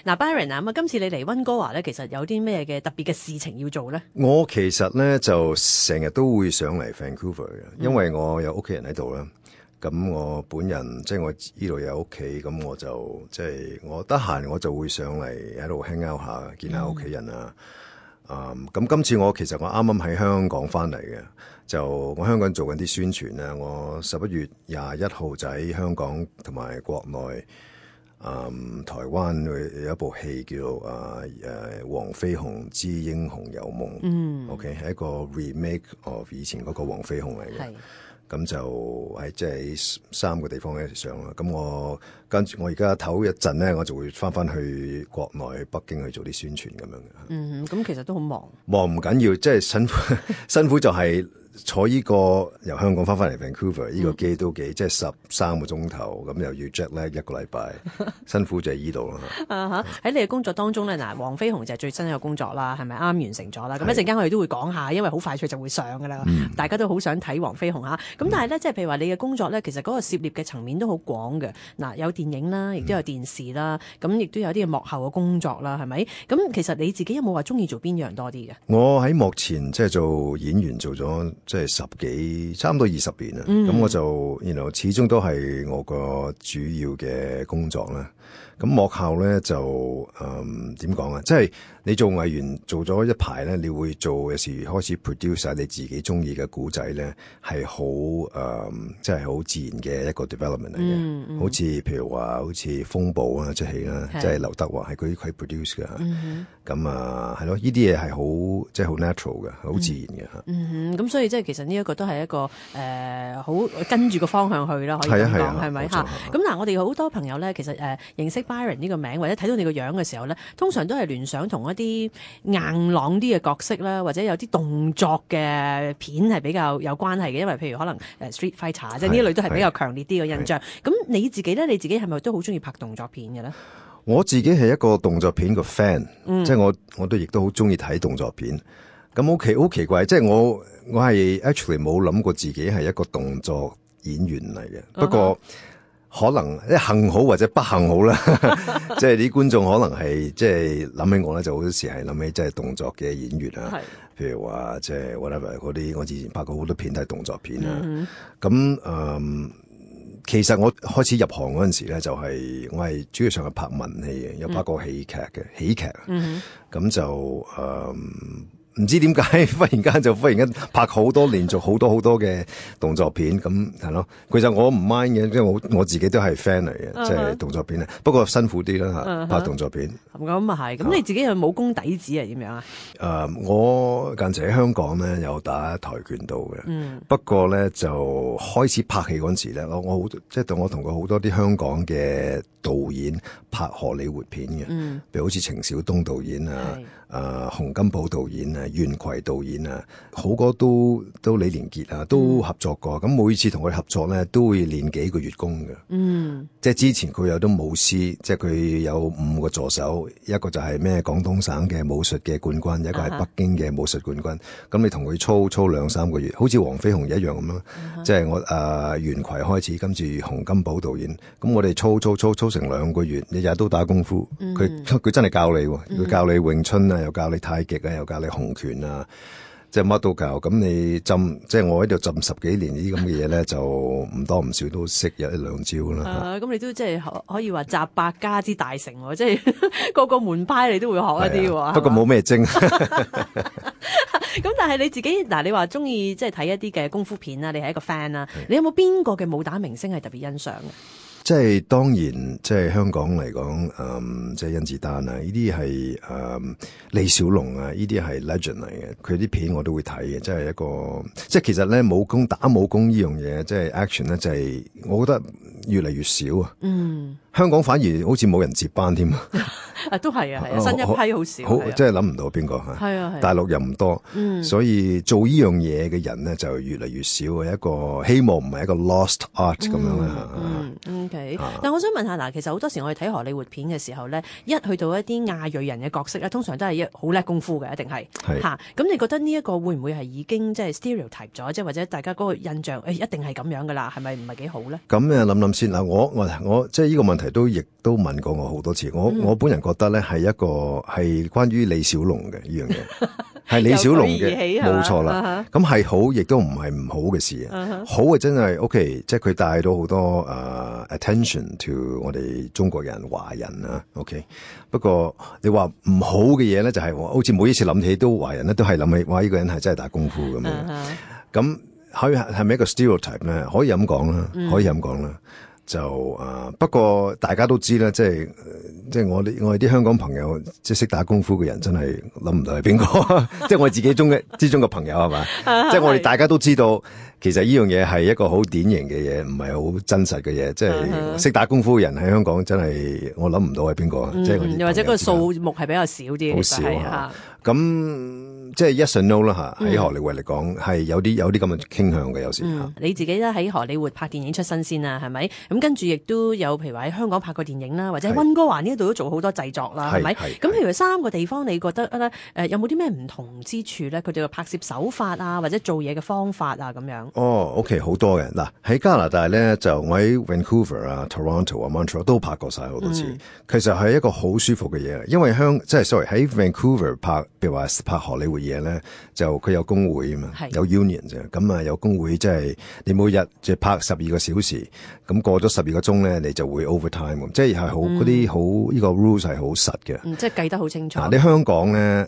嗱，Byron 啊，咁今次你嚟溫哥華咧，其實有啲咩嘅特別嘅事情要做咧？我其實咧就成日都會上嚟 Vancouver 嘅，因為我有屋企人喺度啦。咁我本人即係我呢度有屋企，咁我就即係我得閒我就會上嚟喺度 hang out 下，見下屋企人啊。咁今次其實我啱啱喺香港翻嚟嘅，就我香港做緊啲宣傳咧。我11月21號就喺香港同埋國內。台灣有一部戲叫黃飛鴻之英雄有夢，OK 係一個 remake of 以前嗰個黃飛鴻嚟嘅，咁就係即係3個地方一齊上啦。咁我跟住我而家唞一陣咧，我就會翻去國內北京去做啲宣傳咁樣嘅。咁其實都好忙唔緊要，即係辛苦就係坐呢個由香港翻嚟 Vancouver 呢個機都幾即係13個鐘頭，咁又要 jet lag 1個禮拜，辛苦就係呢度啦。喺你嘅工作當中咧，嗱，黃飛鴻就係最新一個工作啦，係咪啱完成咗啦？咁一陣間我哋都會講下，因為好快脆就會上噶啦，大家都好想睇黃飛鴻嚇。咁但係咧，即係譬如話你嘅工作咧，其實嗰個涉獵嘅層面都好廣嘅。嗱，有電影啦，亦都有電視啦，咁亦都有啲幕後嘅工作啦，係咪？咁其實你自己有冇話中意做邊樣多啲嘅？我喺幕前即係做演員做咗即係差唔多20年啦。咁我就始終都係我個主要嘅工作啦。咁幕後咧就點講啊？即係你做藝員做咗一排咧，你會做有時開始 produce 晒你自己中意嘅古仔咧，係好即係好自然嘅一個 development 嚟嘅。好似譬如話好似風暴啦，即係戲啦，即係劉德華係佢 produce 嘅。咁係咯，呢啲嘢係好即係好 natural 嘅，好自然嘅嚇。咁所以即係其實呢一個都係一個好跟住個方向去啦，可以咁講係咪嚇？咁嗱，我哋好多朋友咧，其實認識Byron 呢個名或者睇到你個樣嘅時候咧，通常都係聯想同一啲硬朗啲嘅角色啦，或者有啲動作嘅片係比較有關係嘅，因為譬如可能Street Fighter 即係呢類都係比較強烈啲嘅印象。咁你自己咧，你自己係咪都好中意拍動作片嘅咧？我自己係一個動作片個 fan，即係我都亦都好中意睇動作片。咁好奇怪，即係我係 actually 冇諗過自己係一個動作演員嚟嘅。不過可能幸好或者不幸好啦，即係啲觀眾可能係即係諗起我咧，就好多時係諗起即係動作嘅演員啊。譬如話即係 whatever 嗰啲，我之前拍過好多片都係動作片啊。咁其實我開始入行嗰陣時咧，我係主要上係拍文戲嘅，有拍過喜劇。咁就唔知點解忽然間拍好多連續好多嘅動作片，咁係咯。其實我唔 mind 嘅，即係我自己都係 fan 嚟嘅，即係動作片啊。不過辛苦啲啦嚇，拍動作片。咁啊係。咁你自己有武功底子係點樣啊？我近時喺香港咧有打跆拳道嘅。不過咧就開始拍戲嗰陣時咧，我同過好多啲香港嘅導演拍荷里活片嘅，譬如好似程小東導演啊、洪金寶導演啊、袁葵導演啊，好多都李連杰啊，都合作過。咁每次同佢合作咧，都會練幾個月功嘅。即係之前佢有啲武師，即係佢有5個助手，一個就係咩廣東省嘅武術嘅冠軍，一個係北京嘅武術冠軍。咁你同佢操2-3個月，好似黃飛鴻一樣咁咯。即係我袁葵開始，跟住洪金寶導演，咁我哋操成2個月，日日都打功夫。佢真係教你，佢教你詠春啊，又教你太極啊，又教你洪拳啊，即係乜都教。咁你即係我喺度浸10幾年呢啲咁嘅嘢咧，就唔多唔少都識有1-2招啦。咁你都即係可以話集百家之大成喎，即係個個門派你都會學一啲喎。不過冇咩精。咁但係你自己嗱，你話中意即係睇一啲嘅功夫片啦，你係一個 fan 啦，你有冇邊個嘅武打明星係特別欣賞嘅？即係當然，即係香港嚟講，即係甄子丹啊，呢啲係李小龍啊，呢啲係 legend 嚟嘅。佢啲片我都會睇嘅，即係一個即係其實咧打武功呢樣嘢，即係 action 咧，就係我覺得越嚟越少啊。香港反而好似冇人接班添啊！都係啊，新一批好少，即係諗唔到邊個嚇。大陸又唔多，所以做呢樣嘢嘅人咧就越嚟越少。一個希望唔係一個 lost art 咁樣啦。OK，但我想問下嗱，其實好多時我哋睇荷里活片嘅時候咧，一去到一啲亞裔人嘅角色咧，通常都係好叻功夫嘅，一定係嚇。咁你覺得呢一個會唔會係已經即係 stereotype 咗，即係或者大家嗰個印象一定係咁樣噶啦？係咪唔係幾好咧？咁諗諗先嗱，我即係呢個問題亦都問過我好多次。我本人覺得咧係關於李小龍嘅呢樣嘢，係李小龍嘅，冇錯啦。咁係好，亦都唔係唔好嘅事啊。好嘅真係 OK， 即係佢帶到好多attention to 我哋中國人、華人啊。OK， 不過你話唔好嘅嘢咧，就係好似每一次諗起都華人咧，都係諗起哇呢個人係真係打功夫咁樣。咁係咪一個 stereotype 咧？可以咁講啦，可以咁講啦。就不過大家都知啦，即係我哋啲香港朋友，即係識打功夫嘅人，真係諗唔到係邊個。即係我自己之中嘅朋友係嘛？即係我哋大家都知道，其實呢樣嘢係一個好典型嘅嘢，唔係好真實嘅嘢。即係識打功夫嘅人喺香港真係我諗唔到係邊個。即係又或者個數目係比較少啲，好少啊。咁即係 yes and no 啦嚇，喺荷里活嚟講係有啲咁嘅傾向嘅有時嚇。你自己咧喺荷里活拍電影出身先啦，係咪？咁跟住亦都有譬如話喺香港拍過電影啦，或者喺溫哥華呢度都做好多製作啦，係咪？咁譬如3個地方，你覺得咧有冇啲咩唔同之處咧？佢哋嘅拍攝手法啊，或者做嘢嘅方法啊咁樣。OK 好多嘅嗱，喺加拿大咧就我喺 Vancouver 啊、Toronto 啊、Montreal 都拍過晒好多次。其實係一個好舒服嘅嘢，因為喺 Vancouver 拍，譬如話拍荷里活嘢咧，就佢有工會啊嘛，有 union 啫。咁啊有工會，即係你每日就拍12個小時，咁過咗12個鐘咧，你就會 overtime，即係好嗰啲好呢個 rules 係好實嘅。即係計得好清楚。你香港咧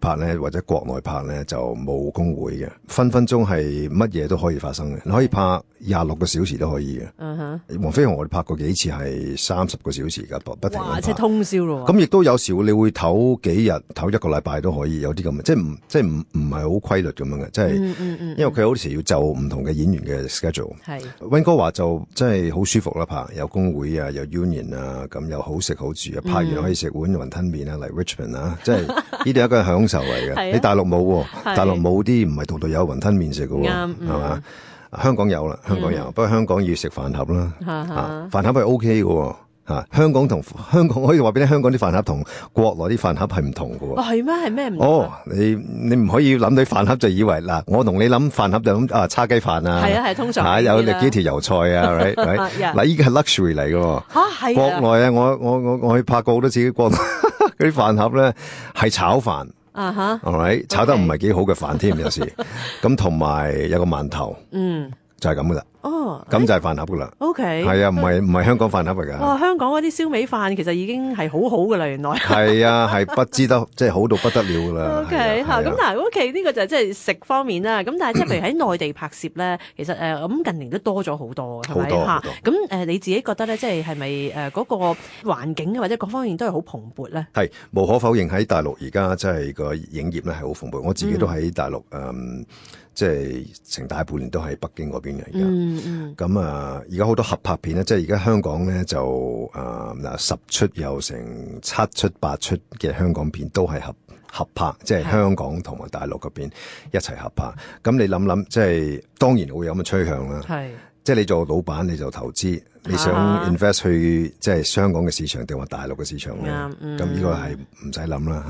拍咧或者國內拍咧就冇工會嘅，分分鐘係乜嘢都可以發生嘅。你可以拍26個小時都可以嘅。黃飛鴻我哋拍過幾次係30個小時㗎，不停咁拍。即係通宵咯。咁亦都有時你會唞幾日，唞1個禮拜都可以有啲咁嘅，即係唔係好規律咁樣嘅，即係因為佢好時要就唔同嘅演員嘅 schedule。溫哥華就真係好舒服啦，拍有工會啊，有 union 啊，咁又好食好住啊，拍完可以食碗雲吞麵啊，嚟 Richmond 啊，即係呢啲係一個享受嚟嘅。你大陸冇，大陸冇啲唔係度度有雲吞麵食嘅，係嘛？香港有啦，香港有，不過香港要食飯盒啦，飯盒係 OK 嘅。香港可以話俾你，香港啲飯盒同國內啲飯盒係唔同嘅喎。係咩？係咩唔同？你唔可以諗到飯盒就以為嗱，我同你諗飯盒就諗叉雞飯啊。係通常有幾條油菜啊，嗱，依個係 luxury 嚟嘅。係國內啊，我去拍過好多次國內嗰啲飯盒咧，係炒飯。炒得唔係幾好嘅飯添，有時咁同埋有個饅頭。就係咁噶啦，咁就係飯盒噶啦。OK，係啊，唔係香港飯盒嚟噶。哇，香港嗰啲燒味飯其實已經係好好噶啦，原來。係啊，係不知得，即係好到不得了噶啦。OK，咁嗱，OK 呢個就係即係食方面啦。咁但係即係譬如喺內地拍攝咧，其實咁近年都多咗好多，係咪嚇？咁你自己覺得咧，即係咪嗰個環境或者各方面都係好蓬勃咧？係無可否認喺大陸而家即係個影業咧係好蓬勃。我自己都喺大陸即係成大半年都喺北京嗰邊嘅而家，咁而家好多合拍片咧，即係而家香港咧就10出有成7出8出嘅香港片都係合拍，即係香港同埋大陸嗰邊一齊合拍。咁你諗，即係當然會有咁嘅趨向啦。即係你做老闆你就投資，你想 invest 去即係香港嘅市場定話大陸嘅市場咧？咁呢個係唔使諗啦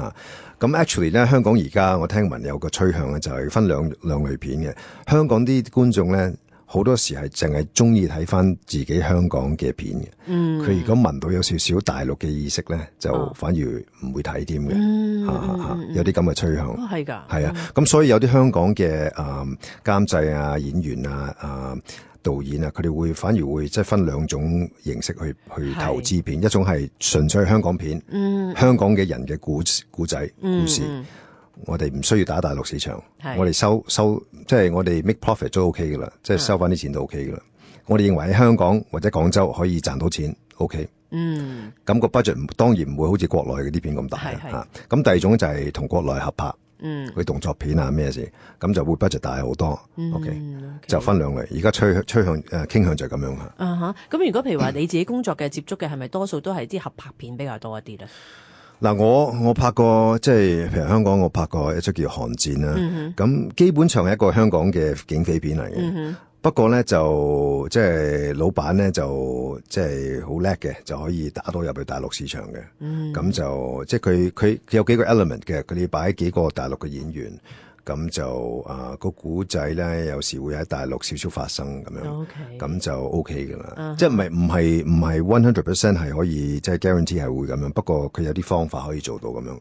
嚇。咁 actually 咧，香港而家我聽聞有個趨向咧，就係分兩類片嘅。香港啲觀眾咧，好多時係淨係中意睇翻自己香港嘅片嘅。佢如果聞到有少少大陸嘅意識咧，就反而唔會睇添嘅。有啲咁嘅趨向。係㗎。係啊。咁所以有啲香港嘅監製啊、演員啊、導演啊，佢哋反而會即係分兩種形式去投資片，一種係純粹香港片，香港嘅人嘅故仔故事，我哋唔需要打大陸市場，我哋收即係我哋 make profit 都 OK 噶啦，即係收翻啲錢都 OK 噶啦。我哋認為喺香港或者廣州可以賺到錢 OK。咁個 budget 當然唔會好似國內嗰啲片咁大嚇。咁第二種就係同國內合拍。佢動作片啊咩事，咁就會 budget 大好多。OK，就分兩類。而家趨向傾向就係咁樣嚇。咁如果譬如話你自己工作嘅接觸嘅係咪多數都係啲合拍片比較多一啲咧？嗱，我拍過即係譬如香港，我拍過一出叫《寒戰》啦。咁基本上係一個香港嘅警匪片嚟嘅。不過咧就即係老闆咧就即係好叻嘅，就可以打到入去大陸市場嘅。咁就即係佢有幾個 element 嘅，佢哋擺幾個大陸嘅演員。咁就個古仔咧，有時會喺大陸少少發生咁樣，咁就 OK 噶啦。即係唔係 100% 係可以即係 guarantee 係會咁樣，不過佢有啲方法可以做到咁樣。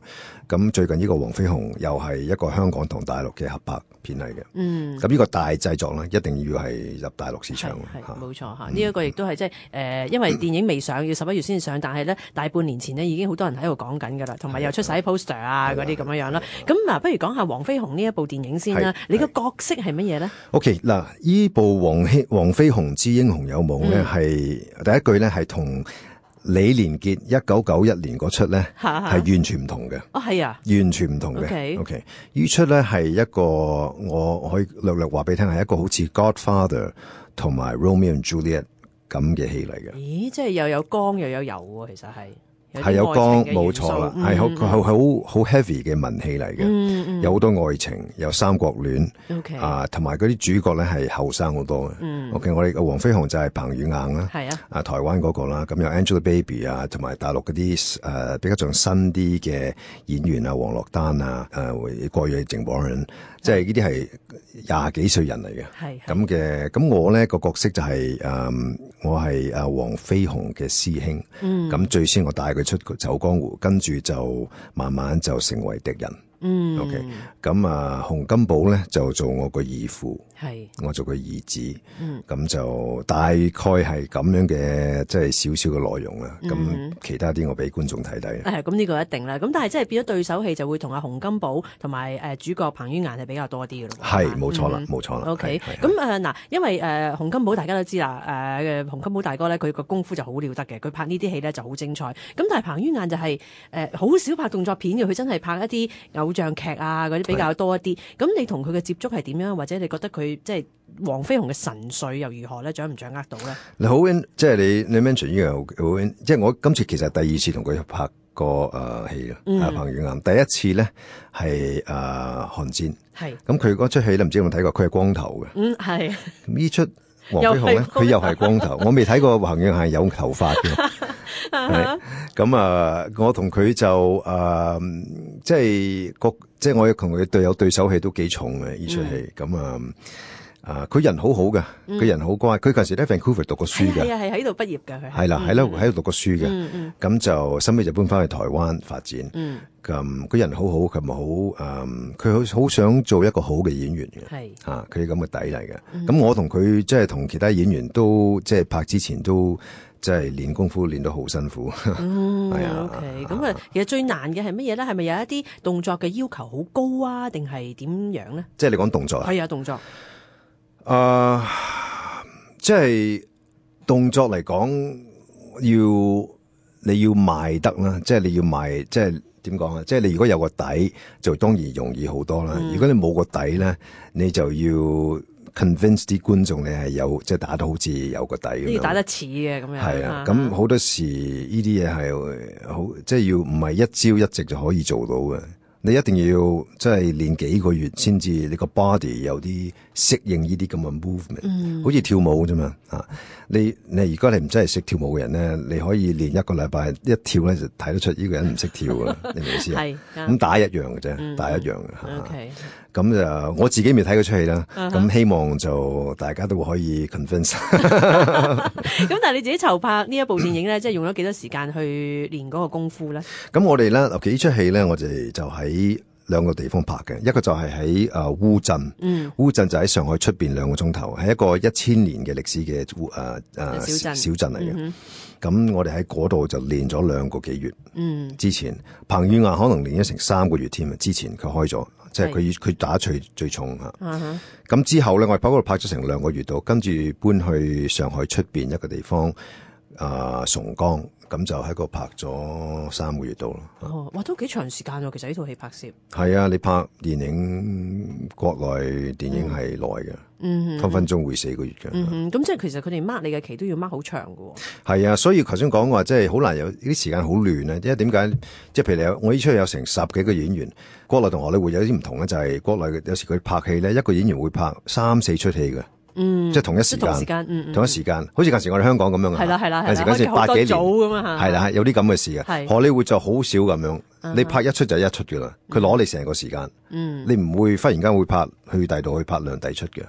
咁最近呢個黃飛鴻又係一個香港同大陸嘅合拍片嚟嘅。咁呢個大製作咧，一定要係入大陸市場。係冇錯嚇，呢一個亦都係即係因為電影未上，要11月先上，但係咧大半年前呢已經好多人喺度講緊㗎啦，同埋又出晒啲 poster 啊嗰啲咁樣啦。咁嗱，不如講下黃飛鴻呢一部電影先啦。你個角色係乜嘢咧 ？OK 嗱，呢部黃飛鴻之英雄有夢咧，係第一句咧係同李連杰1991年嗰出咧係完全唔同嘅。哦，係啊，完全唔同嘅。OK， 呢出咧係一個我可以略略話俾你聽，係一個好似 Godfather 同埋 Romeo and Juliet 咁嘅戲嚟嘅。咦，即係又有光又有油喎，其實係有光，冇錯啦，係好 heavy 嘅文戲嚟嘅，有好多愛情，有三角戀，同埋嗰啲主角咧係後生好多嘅。OK， 我哋嘅黃飛鴻就係彭于晏啦，係啊，台灣嗰個啦，咁有 Angelababy 啊，同埋大陸嗰啲比較仲新啲嘅演員啊，王珞丹啊，郭瑞淨幫人，即係呢啲係20幾歲人嚟嘅，係咁嘅。咁我咧個角色就係我係黃飛鴻嘅師兄，咁最先我帶佢出走江湖，跟住就慢慢就成為敵人。OK， 咁洪金寶咧就做我個義父，係我做個義子，咁就大概係咁樣嘅，即係少少嘅內容啦。咁其他啲我俾觀眾睇睇。咁呢個一定啦。咁但係即係變咗對手戲就會同阿洪金寶同埋主角彭于晏係比較多啲嘅咯。係冇錯啦，冇錯啦。OK， 咁嗱，因為洪金寶大家都知啦，洪金寶大哥咧佢個功夫就好了得嘅，佢拍呢啲戲咧就好精彩。咁但係彭于晏就係好少拍動作片嘅，佢真係拍一啲偶像劇啊嗰啲比較多一啲。咁你同佢嘅接觸係點樣？或者你覺得佢即係黃飛鴻嘅神髓又如何咧？掌唔掌握到咧？你好，即係你 mention 呢樣，即係我今次其實第二次同佢拍過戲啦。彭于晏第一次咧係寒戰，係咁佢嗰出戲你唔知有冇睇過？佢係光頭嘅，係呢出黃飛鴻咧，佢又係光頭。我未睇過彭于晏係有頭髮嘅。咁我同佢就即係我同佢有對手戲都幾重嘅呢出戲。咁佢人好好嘅，佢人好乖。佢嗰陣時喺 Vancouver 讀過書嘅，係喺度畢業嘅。佢係啦，喺度讀過書嘅。咁就收尾就搬翻去台灣發展。咁佢人好好，佢咪好佢好想做一個好嘅演員嘅。係佢咁嘅底嚟嘅。咁我同佢即係同其他演員都即係拍之前都即係練功夫練得好辛苦。係啊。OK， 咁其實最難嘅係乜嘢咧？係咪有一啲動作嘅要求好高啊？定係點樣咧？即係你講動作啊？係啊，動作。即係動作嚟講，你要賣得啦，即係你要賣，即係點講啊？即係你如果有個底，就當然容易好多啦。如果你冇個底咧，你就要 convince 啲觀眾你係有，即係打得好似有個底咁樣，要打得似嘅咁樣。係啊，咁好多時呢啲嘢係好，即係要唔係一朝一夕就可以做到嘅。你一定要即係練幾個月先至，你個 body 有啲適應呢啲咁嘅 movement，好似跳舞啫嘛。你如果你唔真係識跳舞嘅人咧，你可以練一個禮拜，一跳咧就睇得出呢個人唔識跳噶啦。你明唔明意思啊？咁打一樣嘅啫，打一樣嘅。OK，咁就我自己未睇嗰出戲啦。咁希望就大家都可以 convince。咁但係你自己籌拍呢一部電影咧，即係用咗幾多時間去練嗰個功夫咧？咁我哋咧，嗱，呢出戲咧，我哋就喺兩個地方拍嘅，一個就係喺烏鎮，烏鎮就喺上海出邊2個鐘頭，係一個1000年嘅歷史嘅小鎮嚟嘅。咁我哋喺嗰度就練咗2個幾月。之前彭于晏可能練咗成3個月添啊！之前佢開咗，即係佢打最重吓。咁之後咧，我哋喺嗰度拍咗成2個月度，跟住搬去上海出邊一個地方崇江。咁就喺個拍咗3個月度咯。哇，都幾長時間喎！其實呢套戲拍攝係啊，你拍電影國內電影係耐嘅，分分鐘會4個月嘅。咁即係其實佢哋 mark 你嘅期都要 mark 好長㗎喎。係啊，所以頭先講話即係好難有啲時間好亂啊！因為點解？即係譬如我呢出有成10幾個演員，國內同荷里活有啲唔同咧，就係國內有時佢拍戲咧，一個演員會拍3-4出戲嘅。即係同一時間，同一時間，好似嗰時我哋香港咁樣嘅，係啦，有時嗰時8幾年咁啊，係啦，有啲咁嘅事嘅。荷里活就好少咁樣，你拍一出就一出噶啦，佢攞你成個時間，你唔會忽然間會拍去第度去拍兩第出嘅，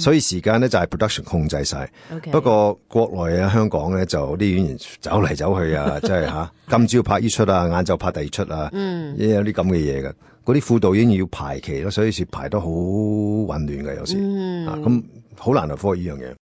所以時間咧就係 production 控制晒。不過國內啊香港咧就啲演員走嚟走去啊，即係吓今朝拍呢出啊，晏晝拍第二出啊，有啲咁嘅嘢嘅。嗰啲副導演要排期咯，所以是排得好混亂嘅有時，咁好難去科呢樣嘢。